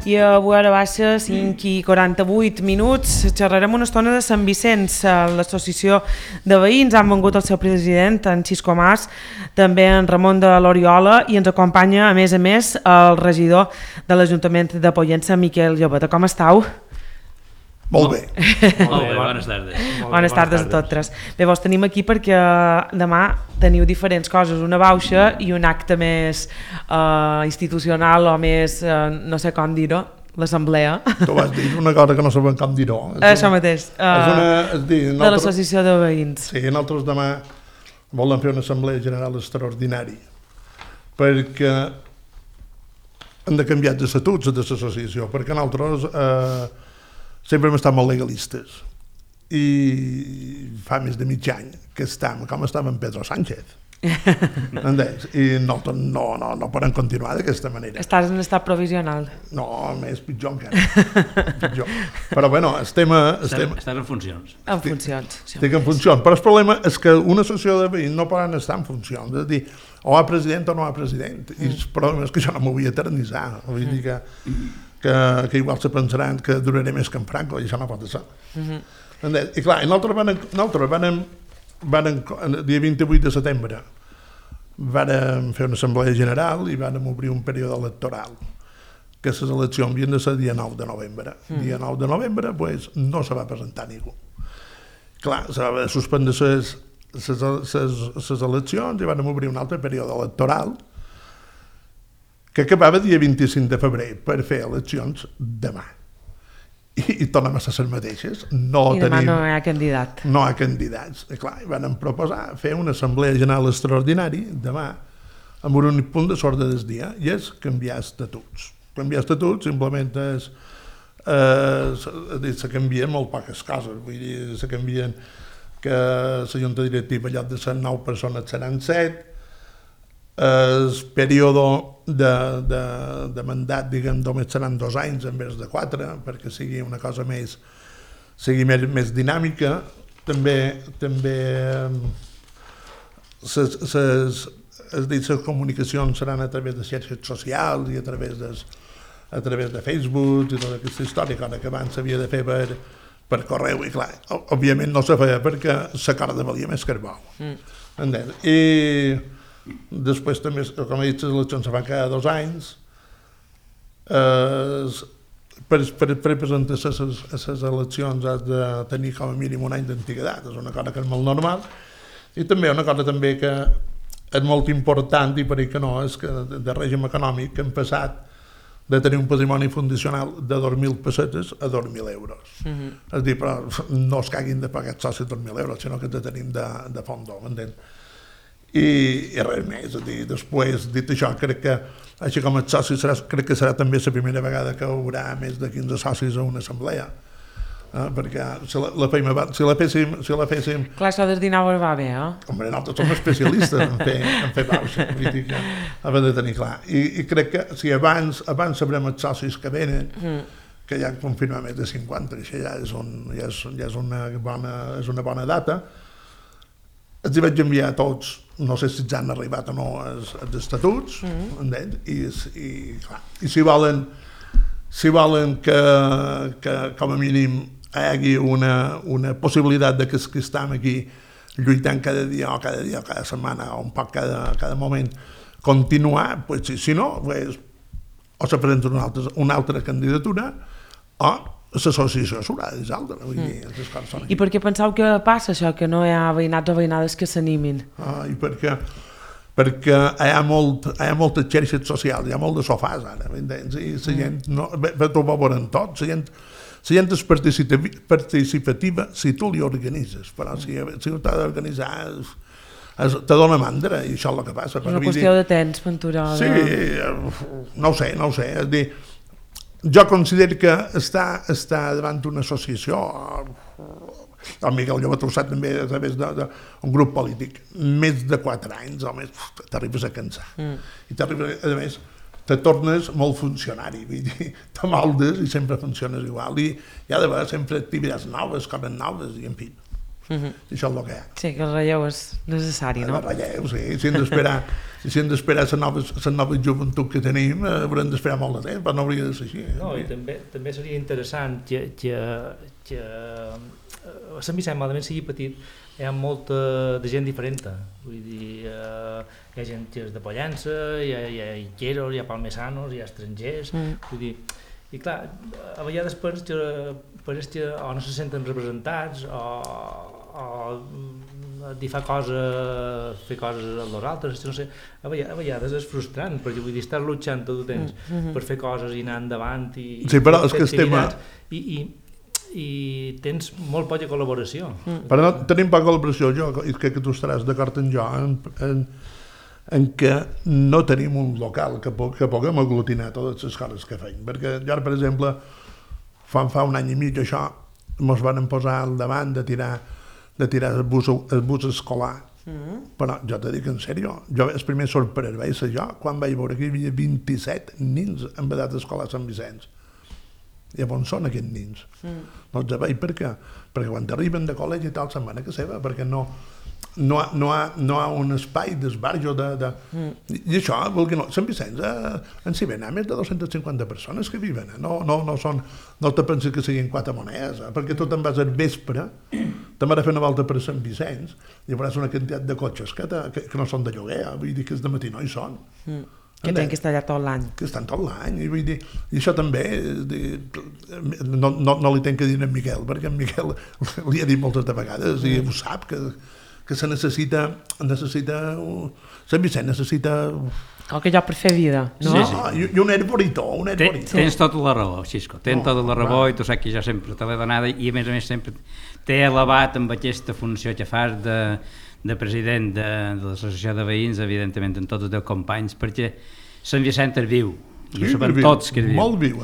I avui ara baixa 5:48. Xerrarem una estona de Sant Vicenç. L'associació de veïns han vengut el seu president, en Xisco Mas, també en Ramon de l'Oriola, i ens acompanya a més el regidor de l'Ajuntament de Pollença, Miquel Llobeta. Com estàu? Molt bé. Molt bé, bones tardes. Bones tardes a totes. Bé, vos tenim aquí perquè demà teniu diferents coses, una bauxa i un acte més institucional o més, no sé com dir-ho, l'assemblea. Tu vas dir una cosa que no sabem com dir-ho. Això mateix, de l'associació de veïns. Sí, nosaltres demà volem fer una assemblea general extraordinària perquè hem de canviar de estatuts de l'associació, perquè nosaltres sempre hem estat molt legalistes i fa més de mig any que estem com estava en Pedro Sánchez. Entens? I nosaltres no podem continuar d'aquesta manera. Estàs en estat provisional? No, més pitjor encara. Pitjor. Però bueno, estem en funcions. En funcions. Estic en funcions, però el problema és que una associació de veïns no poden estar en funcions, és a dir, o hi ha president o no hi ha president, i el problema és que jo no m'ho vull eternitzar, vull dir que igual se pensaran que duraré més que en Franco, i això no pot ser. I clar, nosaltres el dia 28 de setembre vàrem fer una assemblea general i vàrem obrir un període electoral, que les eleccions havien de ser el dia 9 de novembre. El dia 9 de novembre no se va presentar ningú. Clar, se va suspendre les eleccions i vàrem obrir un altre període electoral que acabava el dia 25 de febrer per fer eleccions demà. I tornem a ser les mateixes. I demà no hi ha candidat. No hi ha candidats. I clar, vam proposar fer una assemblea general extraordinària demà amb un únic punt de l'ordre del dia, i és canviar estatuts. Canviar estatuts simplement és se canvien molt poques coses. Vull dir, se canvien que la junta directiva en lloc de ser 9 persones seran 7, el període de mandat, diguem, només seran 2 anys en vez de 4, perquè sigui una cosa més dinàmica. També les comunicacions seran a través de xarxes socials i a través de Facebook i tota aquesta història, cosa que abans s'havia de fer per correu, i clar, òbviament no se feia perquè la corda valia més que el bou. I després també, com he dit, les eleccions se fan cada 2 anys. Per presentar-se a les eleccions has de tenir com a mínim un any d'antiguitat, és una cosa que és molt normal. I també una cosa també que és molt important, i per ahir que no, és que de règim econòmic que hem passat de tenir un patrimoni fundacional de 2.000 pessetes a 2.000 euros. És a dir, però no es caguin de pagar els socis 2.000 euros, sinó que te tenim de fons, m'entens? I res més, és a dir, després, dit això, crec que així com els socis, crec que serà també la primera vegada que hi haurà més de 15 socis a una assemblea, perquè si la féssim... Clar, això del dinar va bé, Home, nosaltres som especialistes en fer bauxa, vull dir que hem de tenir clar. I crec que si abans sabrem els socis que venen, que ja confirma més de 50, això ja és una bona data. Els hi vaig enviar a tots, no sé si ja han arribat o no els estatuts, i si volen que com a mínim hi hagi una possibilitat de que els que estem aquí lluitant cada dia o cada setmana o un poc cada moment continuar, si no, o se presenta una altra candidatura o l'associació s'haurà de dissoldre. I per què penseu que passa això, que no hi ha veïnats o veïnades que s'animin? I perquè hi ha moltes xarxes socials, hi ha molt de sofàs ara, i la gent ho va veure en tot, la gent és participativa si tu li organitzes, però si ho t'ha d'organitzar te dona mandra, i això és el que passa. És una qüestió de temps, Ventura. Sí, no ho sé, és dir, jo considero que està davant d'una associació, el Miquel Llobet ho sap també a través d'un grup polític, més de 4 anys o més, t'arribes a cansar. I t'arribes, a més, te tornes molt funcionari, vull dir, te moldes i sempre funciones igual, i hi ha d'haver sempre activitats noves, coses noves, i en fi. I això és el que hi ha. Sí, que el relleu és necessari, no? El relleu, sí. Si hem d'esperar les noves joventuts que tenim, haurem d'esperar molt de temps, però no hauria de ser així. No, i també seria interessant que a Sant Vicent, malament sigui petit, hi ha molta de gent diferent. Vull dir, hi ha gent que és de Pollença, hi ha iqueros, hi ha palmesanos, hi ha estrangers, vull dir, i clar, a vegades pareix que o no se senten representats o fer coses a els altres, no sé, a vegades és frustrant, perquè vull dir, estàs luchant tot el temps per fer coses i anar endavant i sí, però és que el tema... I tens molt poca col·laboració. Però no, tenim poca col·laboració, jo crec que tu estaràs d'acord amb jo en què no tenim un local que puguem aglutinar totes les coses que feim, perquè jo, per exemple, fa un any i mig això ens van posar al davant de tirar el bus escolar, però jo te dic en sèrio, el primer sorprès vaig ser jo quan vaig veure que hi havia 27 nins en edat d'escolar a Sant Vicenç. I on són aquests nins? No els veig per què? Perquè quan arriben de col·legi i tal se'n van a casa seva, perquè no hi ha un espai d'esbarjo i això, Sant Vicenç en si ven més de 250 persones que viven, no te penses que siguin 4 monedes, perquè tu te'n vas al vespre, te'n vas a fer una volta per Sant Vicenç i veuràs una quantitat de cotxes que no són de lloguer, vull dir que de matí no hi són. Que tenen que estar allà tot l'any. Que estan tot l'any, i vull dir, i això també, no li tenc que dir a en Miquel, perquè en Miquel li ha dit moltes de vegades, i ho sap, que se necessita, Sant Vicent necessita... Qualque lloc per fer vida, no? Sí. I un herboritó, Tens tota la raó, Xisco, tens tota la raó, i tu saps que jo sempre te l'he donada, i a més sempre t'he elevat amb aquesta funció que fas de president de l'associació de veïns, evidentment amb tots els teus companys, perquè Sant Vicent és viu, i ho sabem tots que és viu. Molt viu.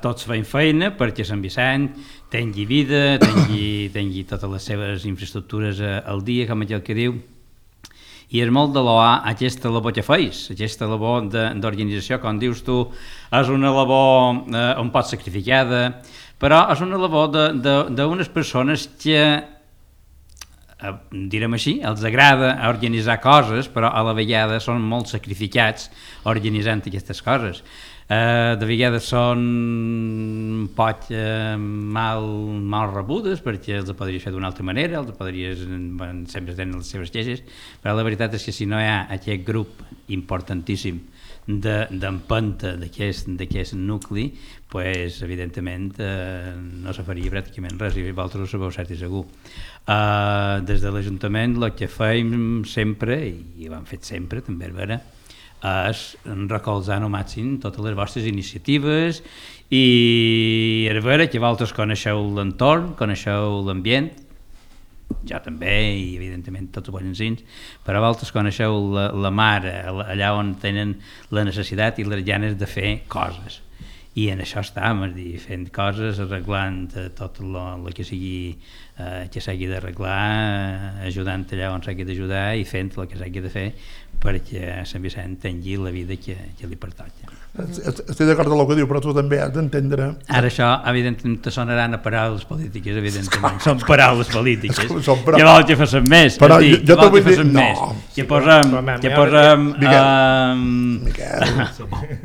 Tots feim feina perquè Sant Vicent tingui vida, tingui totes les seves infraestructures al dia, com aquell que diu, i és molt de loar aquesta labor que feis, aquesta labor d'organització, com dius tu, és una labor un poc sacrificada, però és una labor d'unes persones que, direm així, els agrada organitzar coses, però a la vegada són molt sacrificats organitzant aquestes coses. De vegades són un poc mal rebudes, perquè els podries fer d'una altra manera, sempre tenen les seves queixes, però la veritat és que si no hi ha aquest grup importantíssim d'empenta d'aquest nucli, pues, evidentment no se faria pràcticament res, i vosaltres ho sabeu cert i segur. Des de l'Ajuntament el que fem sempre, i ho hem fet sempre, també és vera, és recolzar al màxim totes les vostres iniciatives, i és vera que vosaltres coneixeu l'entorn, coneixeu l'ambient, jo també, i evidentment tots els bons, però vosaltres coneixeu la mar, allà on tenen la necessitat i les ganes de fer coses. I en això estàvem, és dir, fent coses, arreglant tot el que s'hagi d'arreglar, ajudant allà on s'hagi d'ajudar i fent el que s'hagi de fer perquè Sant Vicent tingui la vida que li pertoca. Estic d'acord amb el que diu, però tu també has d'entendre... Ara això, evidentment, te sonaran a paraules polítiques, evidentment. Són paraules polítiques. Que vol que facin més, però jo t'ho vull dir... Que posem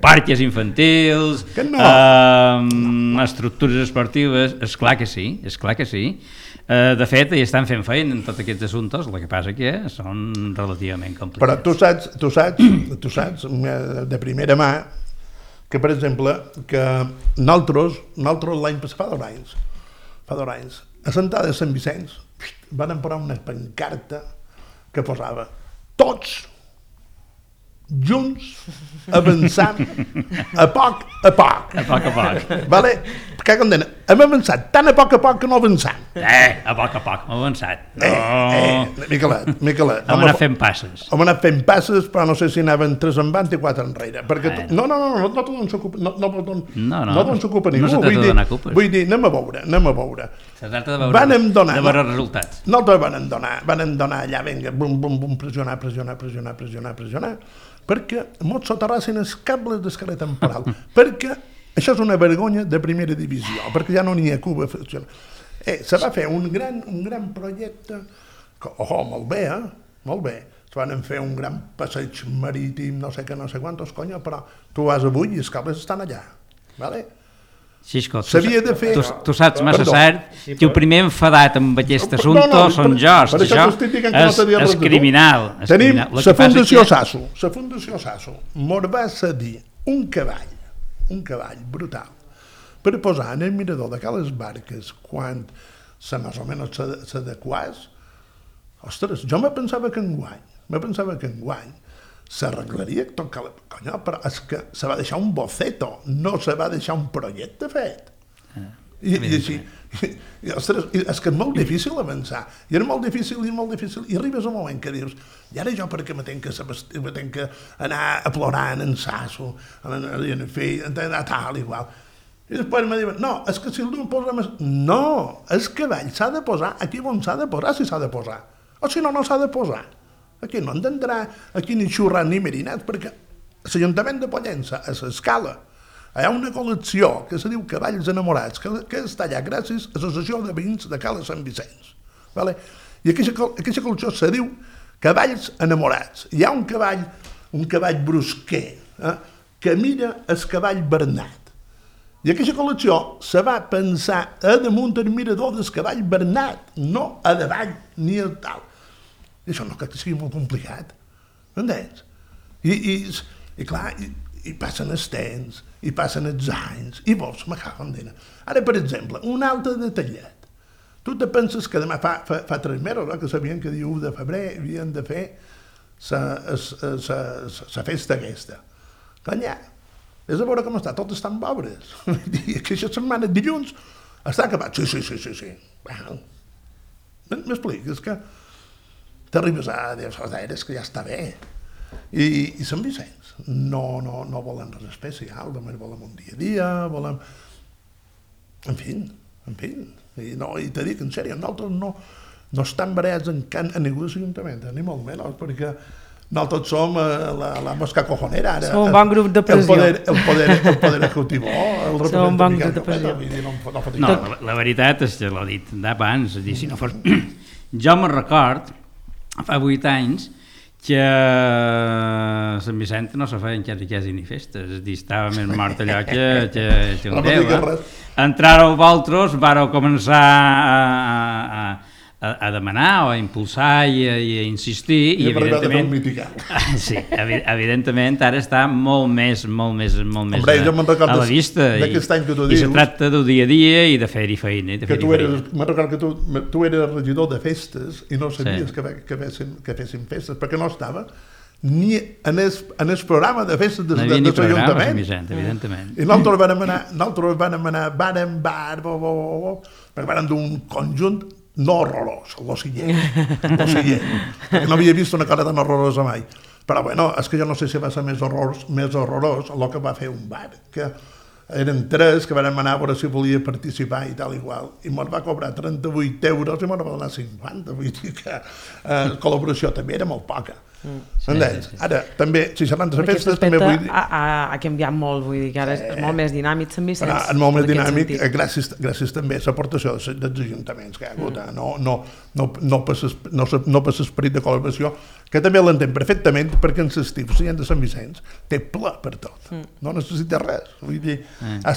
parques infantils, estructures esportives, esclar que sí. De fet, hi estan fent feina en tots aquests assumptes, el que passa que són relativament complicats. Però tu saps de primera mà que, per exemple, que nosaltres l'any passat, fa 2 anys, a Sentada de Sant Vicenç van posar una pancarta que posava tots junts avançant a poc a poc. Vale? Perquè com deien, hem avançat tan a poc que no avançant. A poc hem avançat. Miquelet. Hem anat fent passes. Hem anat fent passes, però no sé si anaven 3 endavant i 4 enrere. No s'ocupa ningú. No se tracta de donar culpes. Vull dir, anem a veure. Se tracta de veure resultats. Nosaltres van donar allà, vinga, bum, pressionar, perquè mos soterrassin els cables d'escala temporal, perquè això és una vergonya de primera divisió, perquè ja no n'hi ha Cuba. Se va fer un gran projecte, molt bé, molt bé. Se van fer un gran passeig marítim, no sé què, no sé quantos, conya, però tu vas avui i els cables estan allà, vale? Xisco, s'havia de fer... Tu saps massa cert que el primer enfadat amb aquest assumpte són jo, és criminal. Tenim la Fundació Sasso, mos va cedir un cavall brutal, per posar en el mirador d'aquelles barques quan més o menys s'adequàs. Ostres, jo me pensava que enguany s'arreglaria tot, conya, però és que se va deixar un boceto, no se va deixar un projecte fet. I així, ostres, és que és molt difícil avançar, i és molt difícil, i arribes a un moment que dius, i ara jo perquè me tenc que anar a plorar en Sasso, en fill, a tal, igual. I després me diuen, no, és que si el posa més... No, el cavall s'ha de posar aquí on s'ha de posar, si s'ha de posar, o si no, no s'ha de posar. Aquí no entendrà, aquí ni xurrat ni merinat, perquè l'Ajuntament de Pollença, a l'escala, hi ha una col·lecció que se diu Cavalls Enamorats, que està allà gràcies a l'Associació de Veïns de Cala Sant Vicenç. I aquesta col·lecció se diu Cavalls Enamorats. Hi ha un cavall brusquer, que mira el cavall Bernat. I aquesta col·lecció se va pensar a damunt el mirador del cavall Bernat, no a davall ni a tal. I això no crec que sigui molt complicat, entens? I clar, i passen els temps, i passen els anys, i vols, me cago en dena. Ara, per exemple, un altre detallet. Tu te penses que demà fa 3 mesos, que sabien que dia 1 de febrer havien de fer la festa aquesta. Canya, és a veure com està, tot estan pobres. Aquesta setmana, dilluns, està acabat. Sí. M'explico, és que t'arribes a dir, és que ja està bé. I Sant Vicenç no volen res especial, només volem un dia a dia, volem... En fi. I te dic, en sèrio, nosaltres no estem barats en ningú de l'Ajuntament, ni molt menys, perquè nosaltres som la mosca cojonera. Som un bon grup de pressió. El poder executiu, el representant de pressió. No, la veritat és que l'ho dit d'abans, si no fos... Jo me'n record, fa 8 anys, que a Sant Vicent no se feien quasi ni festes, és a dir, estava més mort allò que un déu. Entràreu vosaltres, vareu començar a demanar o a impulsar i a insistir, i evidentment... Sí, evidentment ara està molt més a la vista, i se tracta del dia a dia i de fer-hi feina. Me'n recordo que tu eres regidor de festes i no sabies que fessin festes, perquè no estava ni en el programa de festes de l'Ajuntament. I nosaltres vam anar bar en bar, perquè vam d'un conjunt no horrorós, lo siguiente, perquè no havia vist una cosa tan horrorosa mai. Però bueno, és que jo no sé si va ser més horrorós el que va fer un bar, que eren 3 que vam anar a veure si volia participar i tal igual, i me'n va cobrar 38 euros i me'n va donar 50, vull dir que la col·laboració també era molt poca. Ara, també, si xerrant de festes, també vull dir... Ha canviat molt, vull dir que ara és molt més dinàmic Sant Vicenç. És molt més dinàmic, gràcies també a l'aportació dels ajuntaments que hi ha hagut, no per l'esperit de col·laboració, que també l'entenc perfectament, perquè en l'estiu la gent de Sant Vicenç té ple per tot, no necessita res, vull dir, n'hi ha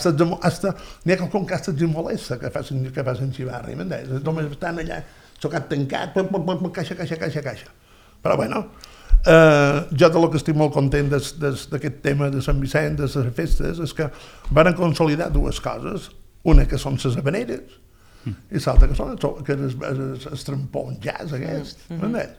quelcom que hasta els molesta que facin xivarri, m'entens? Només estan allà, xocat tancat, caixa. Però bueno, jo de lo que estic molt content d'aquest tema de Sant Vicent, de les festes, és que van consolidar 2 coses, una que són les habaneres i l'altra que són els tramponjats aquests, m'entens?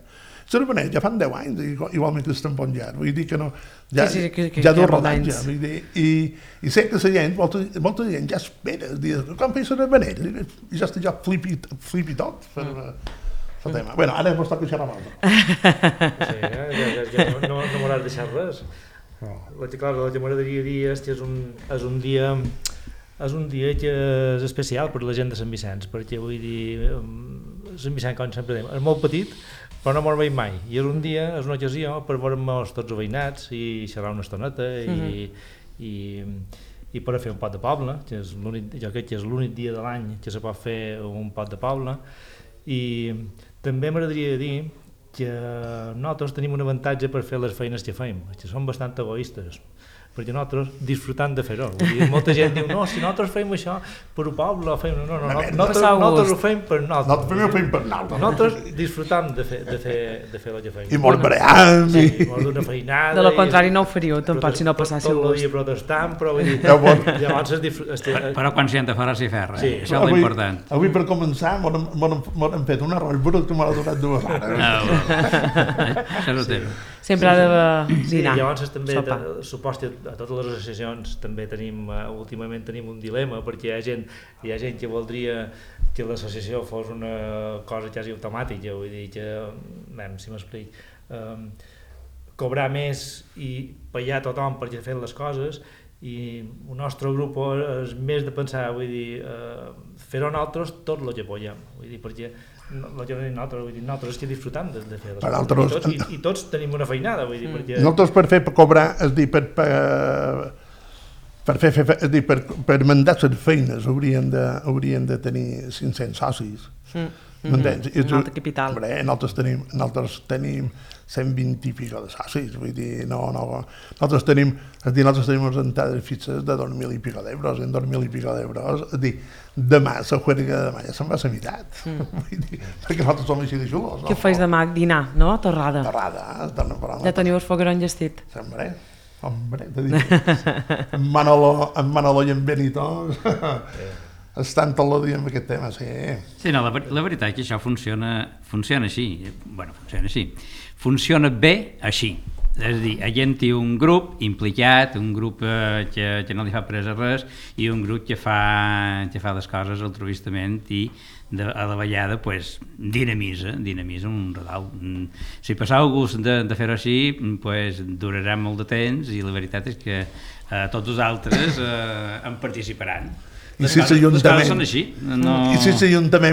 Les habaneres ja fan 10 anys, igualment que els tramponjats, vull dir que no, ja d'un rodatge, vull dir, i sé que la gent, molta gent ja espera, quan feia les habaneres, i ja està flipi tot per el tema. Bueno, ara mos toca xerrar amb ja no m'hauràs deixat res. Clar, la que m'agradaria dir és que és un dia que és especial per la gent de Sant Vicenç, perquè vull dir, Sant Vicenç, com sempre dèiem, és molt petit, però no m'ho veiem mai, i és un dia, és una ocasió per veure'ns tots els veïnats i xerrar una estoneta i per a fer un pot de poble, que és jo crec que és l'únic dia de l'any que se pot fer un pot de poble. I també m'agradaria dir que nosaltres tenim un avantatge per fer les feines que fem, que som bastant egoistes, perquè nosaltres disfrutant de fer-ho. Molta gent diu, no, si nosaltres fem això per un poble, nosaltres ho fem per nosaltres. Nosaltres disfrutam de fer el que fem. I molt bream. Sí, molt d'una feinada. De lo contrari no ho faríeu, tampoc, si no passássiu gust. Tot el dia protestant, però vull dir, llavors però conscient de fer si ferra, això és l'important. Avui per començar m'han fet un arròs brut que m'ha durat 2 hores. Això no té. Sempre ha de dinar. Llavors també, supos que a totes les associacions també últimament tenim un dilema, perquè hi ha gent que voldria que l'associació fos una cosa quasi automàtica, vull dir que, si m'explic, cobrar més i pagar a tothom perquè fer les coses, i el nostre grup és més de pensar, vull dir, fer-ho nosaltres tot el que podem, vull dir, perquè nosaltres que disfrutam de fer les coses, i tots tenim una feinada, vull dir, perquè... Nosaltres per fer cobrar, és dir, per mandar les feines hauríem de tenir 500 socis. M'entens? Un altre capital. Nosaltres tenim 120 i pico de socis, vull dir, nosaltres tenim unes entrades fixes de 2.000 i pico d'euros, en 2.000 i pico d'euros, és dir, demà, la juerga de demà ja se'n va a la meitat, perquè nosaltres som així de xulos. Què feis demà? Dinar, no? Torrada. Ja teniu el foc gran llestit. Hombre, t'he dit, en Manolo i en Benito estan tot el dia amb aquest tema, sí. Sí, no, la veritat és que això funciona així, funciona bé així. És a dir, hi ha un grup implicat, un grup que no li fa presa res i un grup que fa les coses altruistament i a la vegada dinamitza un redau. Si passau gust de fer-ho així, durarà molt de temps i la veritat és que tots els altres en participaran. I si l'Ajuntament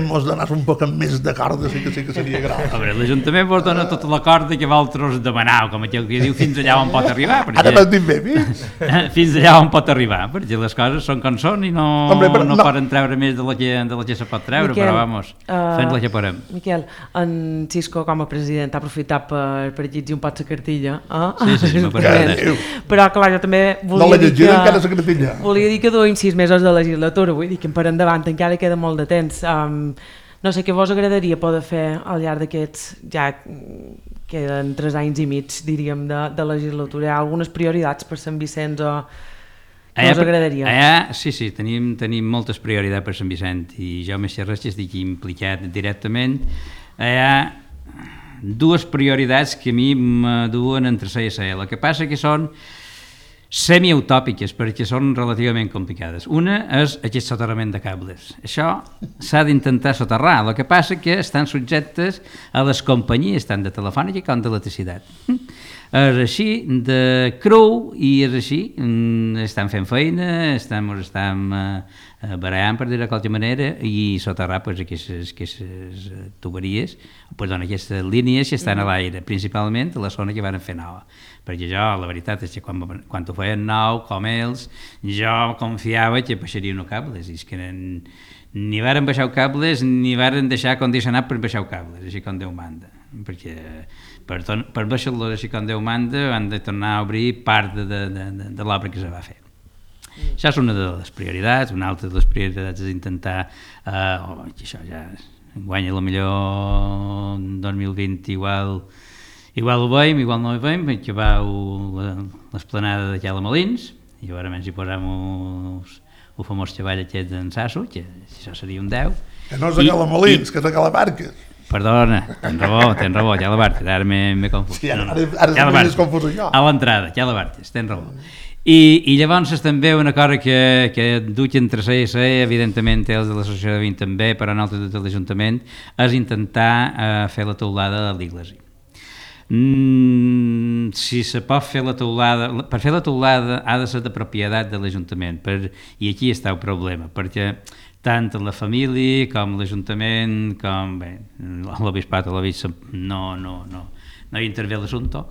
mos donés un poc més de corda, sí que seria grau. L'Ajuntament vos dona tota la corda que vosaltres demaneu, com aquell que diu fins allà on pot arribar. Ara m'has dit bé, fills? Fins allà on pot arribar, perquè les coses són com són i no poden treure més de la que se pot treure, però vamos, fent la que podem. Miquel, en Xisco com a president ha aprofitat per llegir un pot la cartilla. Sí, m'apareix. Però clar, jo també volia dir que duim 6 mesos de legislatura, vull dir que per endavant encara queda molt de temps. No sé què vos agradaria poder fer al llarg d'aquests, ja queden 3 anys i mig, diríem, de legislatura. Hi ha algunes prioritats per Sant Vicenç o què us agradaria? Sí, tenim moltes prioritats per Sant Vicent i jo més que res que estic implicat directament. Hi ha 2 prioritats que a mi me duen entre C i C. El que passa que són semiutòpiques perquè són relativament complicades. Una és aquest soterrament de cables. Això s'ha d'intentar soterrar, el que passa que estan subjectes a les companyies tant de telefònica com d'electricitat. És així de cru i és així, estan fent feina, estan barallant per dir de qualque manera i soterrar aquestes tuberies, aquestes línies que estan a l'aire, principalment a la zona que van fer nova. Perquè jo, la veritat és que quan ho feien nou, com ells, jo confiava que baixarien els cables, i és que ni varen baixar cables ni varen deixar condicionat per baixar cables, així com Déu manda, perquè per baixar-los així com Déu manda han de tornar a obrir part de l'obra que se va fer. Això és una de les prioritats. Una altra de les prioritats és intentar que això ja guanya millor 2020 igual ho veiem, igual no ho veiem, que va l'esplanada de Cala Molins, i veurem si posem el famós xavall aquest d'en Sasso, que això seria un 10. Que no és a Cala Molins, que és a Cala Barques. Perdona, tens raó, Cala Barques, ara m'he confús. Sí, ara m'he confús jo. A l'entrada, Cala Barques, tens raó. I llavors és també una cosa que duc entre C i C, evidentment els de l'associació de Vint també, però nosaltres de l'Ajuntament, és intentar fer la teulada de l'església. Si se pot fer la teulada, per fer la teulada ha de ser de propietat de l'Ajuntament, i aquí està el problema, perquè tant la família com l'Ajuntament, com l'Obispat o l'Obisp no hi intervé l'assumpte,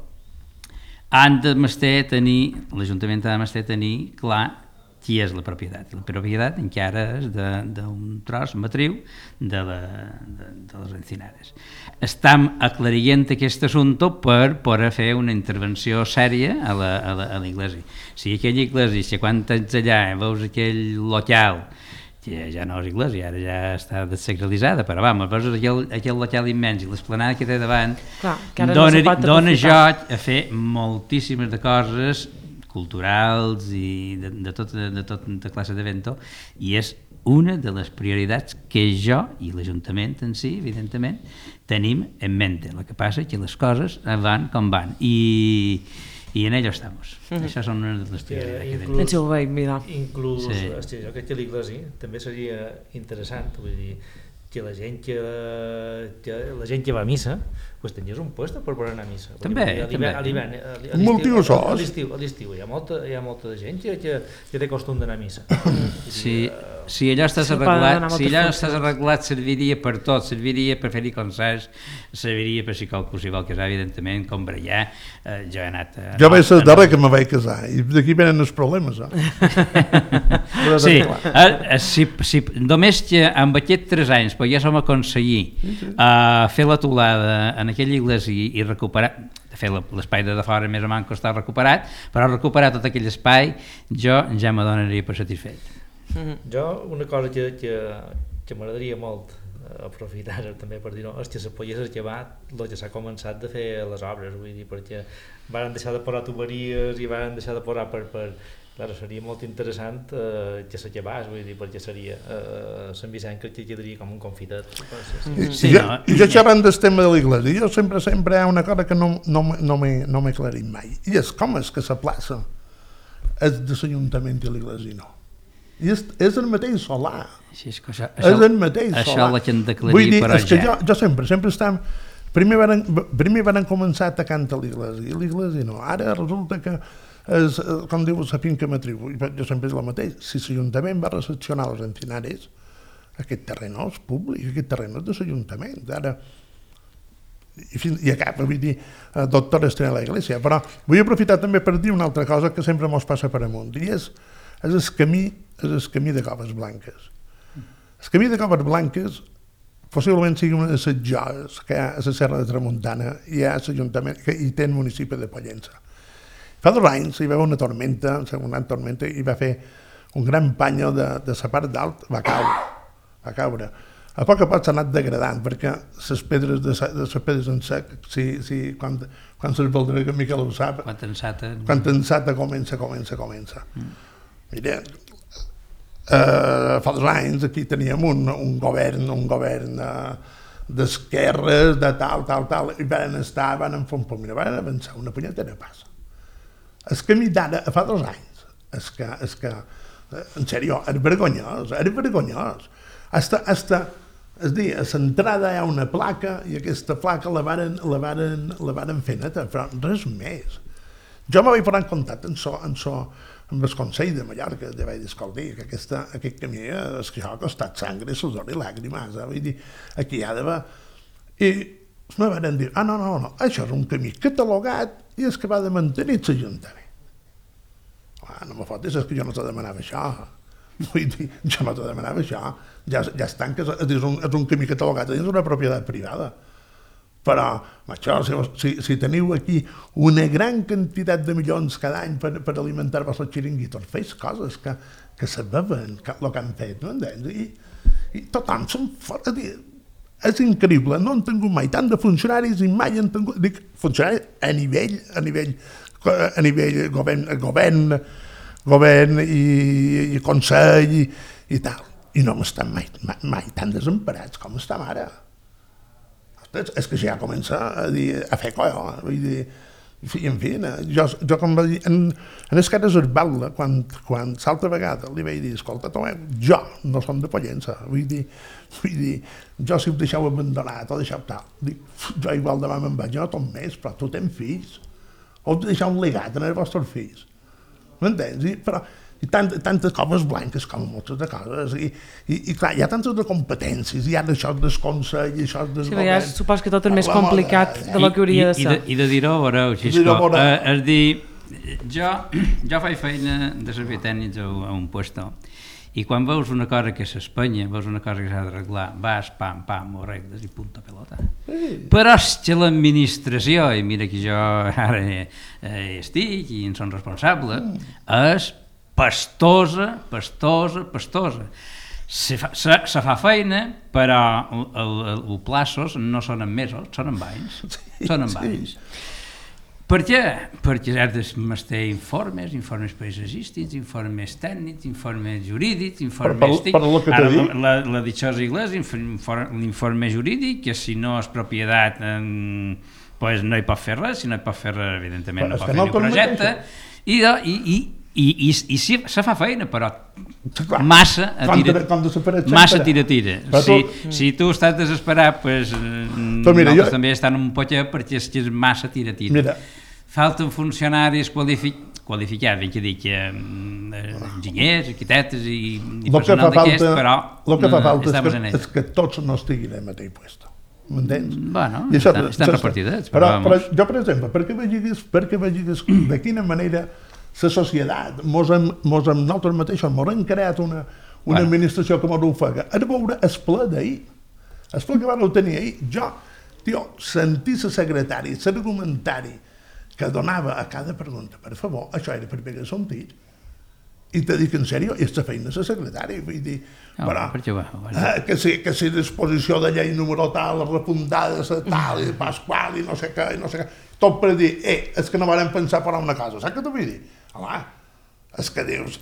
l'Ajuntament ha de tenir clar qui és la propietat. I la propietat encara és d'un tros matriu de les encinades. Estem aclarient aquest assumpte per poder fer una intervenció sèria a l'església. Si aquella església, si quan ets allà veus aquell local, que ja no és església, ara ja està desacralitzada, però veus aquell local immens i l'esplanada que té davant, dona joc a fer moltíssimes de coses culturals i de tota classe d'evento, i és una de les prioritats que jo i l'Ajuntament en si, evidentment, tenim en mente. El que passa és que les coses van com van i en ello estamos. Això són una de les prioritats. Inclús, jo crec que l'Iglesi també seria interessant, vull dir, que la gent que va a missa pues tenies un puesto per poder anar a missa. També. A l'estiu hi ha molta gent que té costum d'anar a missa. Si allò estàs arreglat, serviria per tot, serviria per fer-hi concerts, serviria per si qualsevol casar, evidentment, com brallar. Jo he anat... Jo vaig ser darrer que me vaig casar, i d'aquí venen els problemes. Si només que amb aquests 3 anys poguéssim aconseguir fer la teulada en aquella església i recuperar, de fet l'espai de fora més o menys està recuperat, però recuperar tot aquell espai jo ja me donaria per satisfet. Jo una cosa que m'agradaria molt aprofitar també per dir-ho és que se pogués acabar el que s'ha començat de fer les obres, vull dir, perquè van deixar de posar tuberies i van deixar de posar Clar, seria molt interessant que s'acabés, vull dir, perquè seria Sant Vicent que quedaria com un confitet. Jo xerrant del tema de l'església, jo sempre hi ha una cosa que no m'he aclarit mai, i és com és que la plaça és de l'Ajuntament i l'església no. I és el mateix solar. És el mateix solar. Això la que hem d'aclarir per és que jo sempre estem... Primer van començar atacant a l'església no. Ara resulta que com diu la finca matriu, jo sempre és el mateix, si l'Ajuntament va recepcionar les encinares, aquest terreno és públic, aquest terreno és de l'Ajuntament, ara i acaba, vull dir, doctor estrena a l'església, però vull aprofitar també per dir una altra cosa que sempre mos passa per amunt, i és el camí de Coves Blanques. El camí de Coves Blanques possiblement sigui una de les joies que hi ha a la Serra de Tramuntana i hi ha l'Ajuntament que hi té el municipi de Pollença. Fa 2 anys hi va haver una tormenta, i va fer un gran panyo de la part dalt, va caure. A poc s'ha anat degradant, perquè les pedres en sec, quan se'ls voldrà, que Miquel ho sap, quan ensata comença. Mira, fa 2 anys aquí teníem un govern d'esquerres, de tal, i van fer un poc, van avançar una punyetera passa. El camí d'ara, fa 2 anys, és que, en sèrio, era vergonyós. És dir, a l'entrada hi ha una placa i aquesta placa la varen fer neta, però res més. Jo me vaig posar en contacte amb el Consell de Mallorca, ja vaig dir, escolti, que aquest camí és que això ha costat sangre, sudor i làgrimes, vull dir, aquí hi ha d'haver... I me van dir, no, això és un camí catalogat i és que va de mantenir l'Ajuntament. No me fotis, és que jo no te demanava això. Vull dir, jo no te demanava això. Ja estan, que és un camí catalogat, és una propietat privada. Però, això, si teniu aquí una gran quantitat de milions cada any per alimentar-vos els xiringuitos, feis coses que se veuen el que han fet, no entens? I tothom són fora... És increïble, no han tingut mai tant de funcionaris i mai han tingut... Dic, funcionaris a nivell govern i consell i tal. I no hem estat mai tan desemparats com estem ara. És que ja comença a fer colla, vull dir... En fi, jo com va dir, en les cares Esbalda, quan l'altra vegada li vaig dir, escolta, Tomeu, jo no som de Pollença, vull dir, jo si ho deixeu abandonat o deixeu tal, dic, jo igual demà me'n vaig, jo no tot més, però tu tens fills, heu de deixar un legat en els vostres fills, m'entens? Però tantes Coves Blanques com moltes de coses, i clar, hi ha tantes de competències, hi ha això del Consell, això del govern... Supos que tot és més complicat de lo que hauria de ser. I de dir-ho, veureu, Xisco, és dir, jo faig feina de servir tècnics a un puesto, i quan veus una cosa que s'espanya, veus una cosa que s'ha d'arreglar, vas, pam, pam, ho arregles i punto pelota. Però és que l'administració, i mira que jo ara estic i en som responsable, és pastosa. Se fa feina, però els plaços no són en mesos, són en anys. Són en anys. Per què? Perquè has de informes paisatgístics, informes tècnics, informes jurídics, informes... La dichosa anglès, l'informe jurídic, que si no és propietat no hi pot fer res, si no hi pot fer res, evidentment no pot fer ni projecte, i se fa feina, però massa tira. Si tu estàs desesperat, nosaltres també estem un poquet perquè és massa tira. Falten funcionaris qualificats, ben que dic, enginyers, arquitectes i personal d'aquest, però estamos en ello. És que tots no estiguin en el mateix lloc. M'entens? Bueno, estan repartidets. Però jo, per exemple, perquè vegis de quina manera la societat, nosaltres mateixos hem creat una administració que ens ofega. A veure el ple d'ahir, el ple que vam tenir ahir, jo, sentir la secretària, l'argumentari que donava a cada pregunta, per favor, això era per pegar sentit, i te dic en sèrio, és la feina de la secretària, vull dir, que si disposició de llei número tal, repuntada de tal, i pasqual, i no sé què, tot per dir, és que no vam pensar per una cosa, saps què t'ho vull dir? Home, és que dius,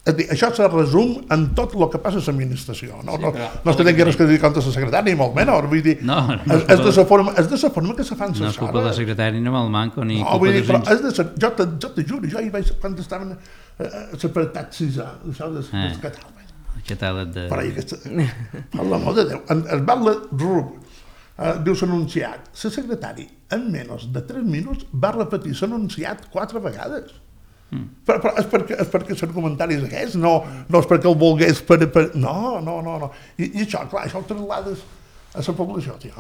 això se resum en tot el que passa a l'administració, no és que tingui res que dir contra la secretària, ni molt menys, vull dir, és de la forma que se fan les coses. No és culpa de la secretària, ni me'l manco, ni culpa dels... Jo te juro, jo hi vaig, quan estaven a l'apartat 6A, això del catàleg. El catàleg de... Per l'amor de Déu, el Batlle Rub, diu l'anunciat, la secretària, en menys de 3 minuts, va repetir l'anunciat 4 vegades. Però és perquè són comentaris aquests, no és perquè el volgués no. I això, clar, això ho traslades a la població, tio,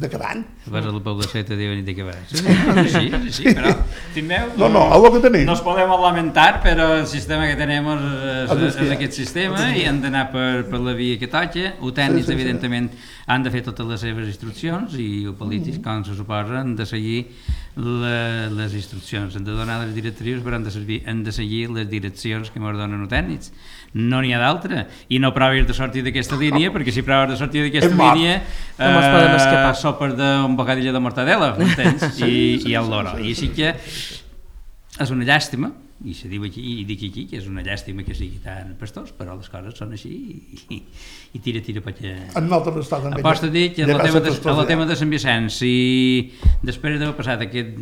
de Cabany. Vas a la població i te diuen de Cabany. Sí, però, timeu, el que tenim. No es podem lamentar, però el sistema que tenim és aquest sistema i han d'anar per la via que toca. Els tècnics, evidentment, han de fer totes les seves instruccions i els polítics, com se suposa, han de seguir les instruccions, han de donar les directrius, però han de seguir les direccions que ens donen els tècnics. No n'hi ha d'altra, i no provis de sortir d'aquesta línia, perquè si proves de sortir d'aquesta línia sopes d'un bocadillo de mortadela, m'entens? I el loro. I sí que és una llàstima, i se diu aquí, i dic aquí, que és una llàstima que sigui tan pastós, però les coses són així i tira perquè... Aposta a dir que en el tema de Sant Vicenç, si després d'haver passat aquests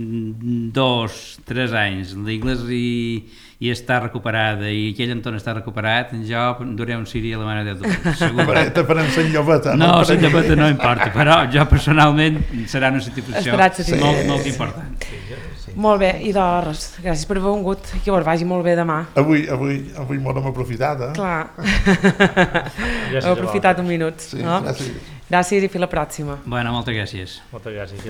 2-3 anys l'Iglésia i està recuperada i aquell entorn està recuperat, jo duré un ciri a la mare de Déu, segur. Te farem Sant Llobeta. No, Sant Llobeta no importa, però jo personalment serà una situació molt important. Molt bé, i doncs, gràcies per haver vingut, que us vagi molt bé demà. Avui m'ho hem aprofitat, Clar, hem aprofitat un minut. Sí, gràcies. Gràcies i fins la pròxima. Bueno, moltes gràcies. Moltes gràcies.